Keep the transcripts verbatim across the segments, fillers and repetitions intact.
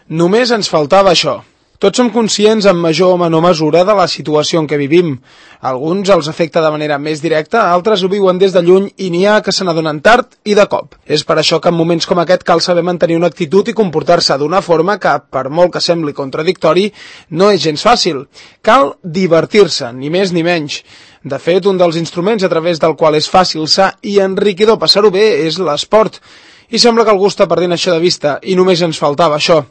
Només ens faltava això. Tots som conscients en major o menor mesura de la situació en què vivim. Alguns els afecta de manera més directa, altres ho viuen des de lluny i n'hi ha que se n'adonen tard i de cop. És per això que en moments com aquest cal saber mantenir una actitud i comportar-se d'una forma que, per molt que sembli contradictori, no és gens fàcil. Cal divertir-se, ni més ni menys. De fet, un dels instruments a través del qual és fàcil, sa i enriquidor passar-ho bé és l'esport. I sembla que algú està perdent això de vista, i només ens faltava això.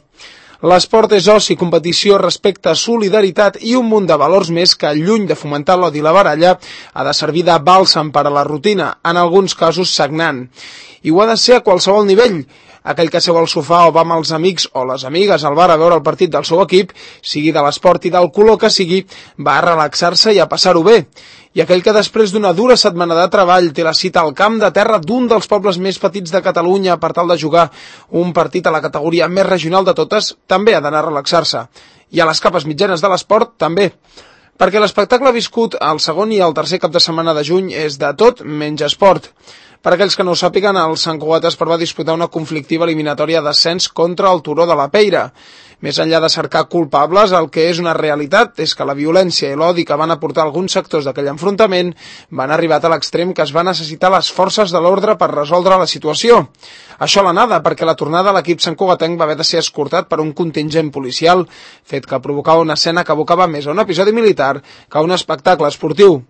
L'esport és oci, competició, respecte, solidaritat i un munt de valors més que, lluny de fomentar l'odi i la baralla, ha de servir de bàlsam per a la rutina, en alguns casos sagnant. I ho ha de ser a qualsevol nivell. Aquell que seu al sofà o va amb els amics o les amigues al bar a veure el partit del seu equip, sigui de l'esport i del color que sigui, va a relaxar-se i a passar-ho bé. I aquell que després d'una dura setmana de treball té la cita al camp de terra d'un dels pobles més petits de Catalunya per tal de jugar un partit a la categoria més regional de totes, també ha d'anar a relaxar-se. I a les capes mitjanes de l'esport, també. Perquè l'espectacle viscut al segon i al tercer cap de setmana de juny és de tot menys esport. Per aquells que no ho sàpiguen, el Sant Cugat Esport va disputar una conflictiva eliminatòria d'ascens contra el Turó de la Peira. Més enllà de cercar culpables, el que és una realitat és que la violència i l'odi que van aportar alguns sectors d'aquell enfrontament van arribar a l'extrem que es va necessitar les forces de l'ordre per resoldre la situació. Això a la nada, perquè la tornada a l'equip santcugatenc va haver de ser escortat per un contingent policial, fet que provocava una escena que abocava més a un episodi militar que a un espectacle esportiu.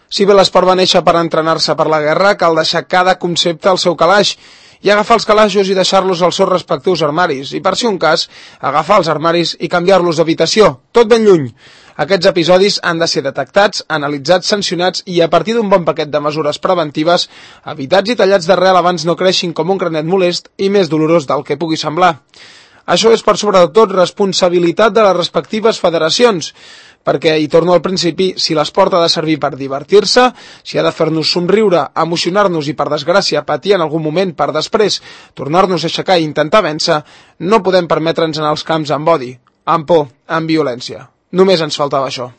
Si bé l'esport va néixer per entrenar-se per la guerra, cal deixar cada concepte al seu calaix i agafar els calaixos i deixar-los als seus respectius armaris, i per si un cas, agafar els armaris i canviar-los d'habitació, tot ben lluny. Aquests episodis han de ser detectats, analitzats, sancionats i a partir d'un bon paquet de mesures preventives, evitats i tallats d'arrel abans no creixin com un granet molest i més dolorós del que pugui semblar. Això és per sobre de tot responsabilitat de les respectives federacions, perquè, i torno al principi, si l'esport ha de servir per divertir-se, si ha de fer-nos somriure, emocionar-nos i, per desgràcia, patir en algun moment per després tornar-nos a aixecar i intentar vèncer, no podem permetre'ns anar als camps amb odi, amb por, amb violència. Només ens faltava això.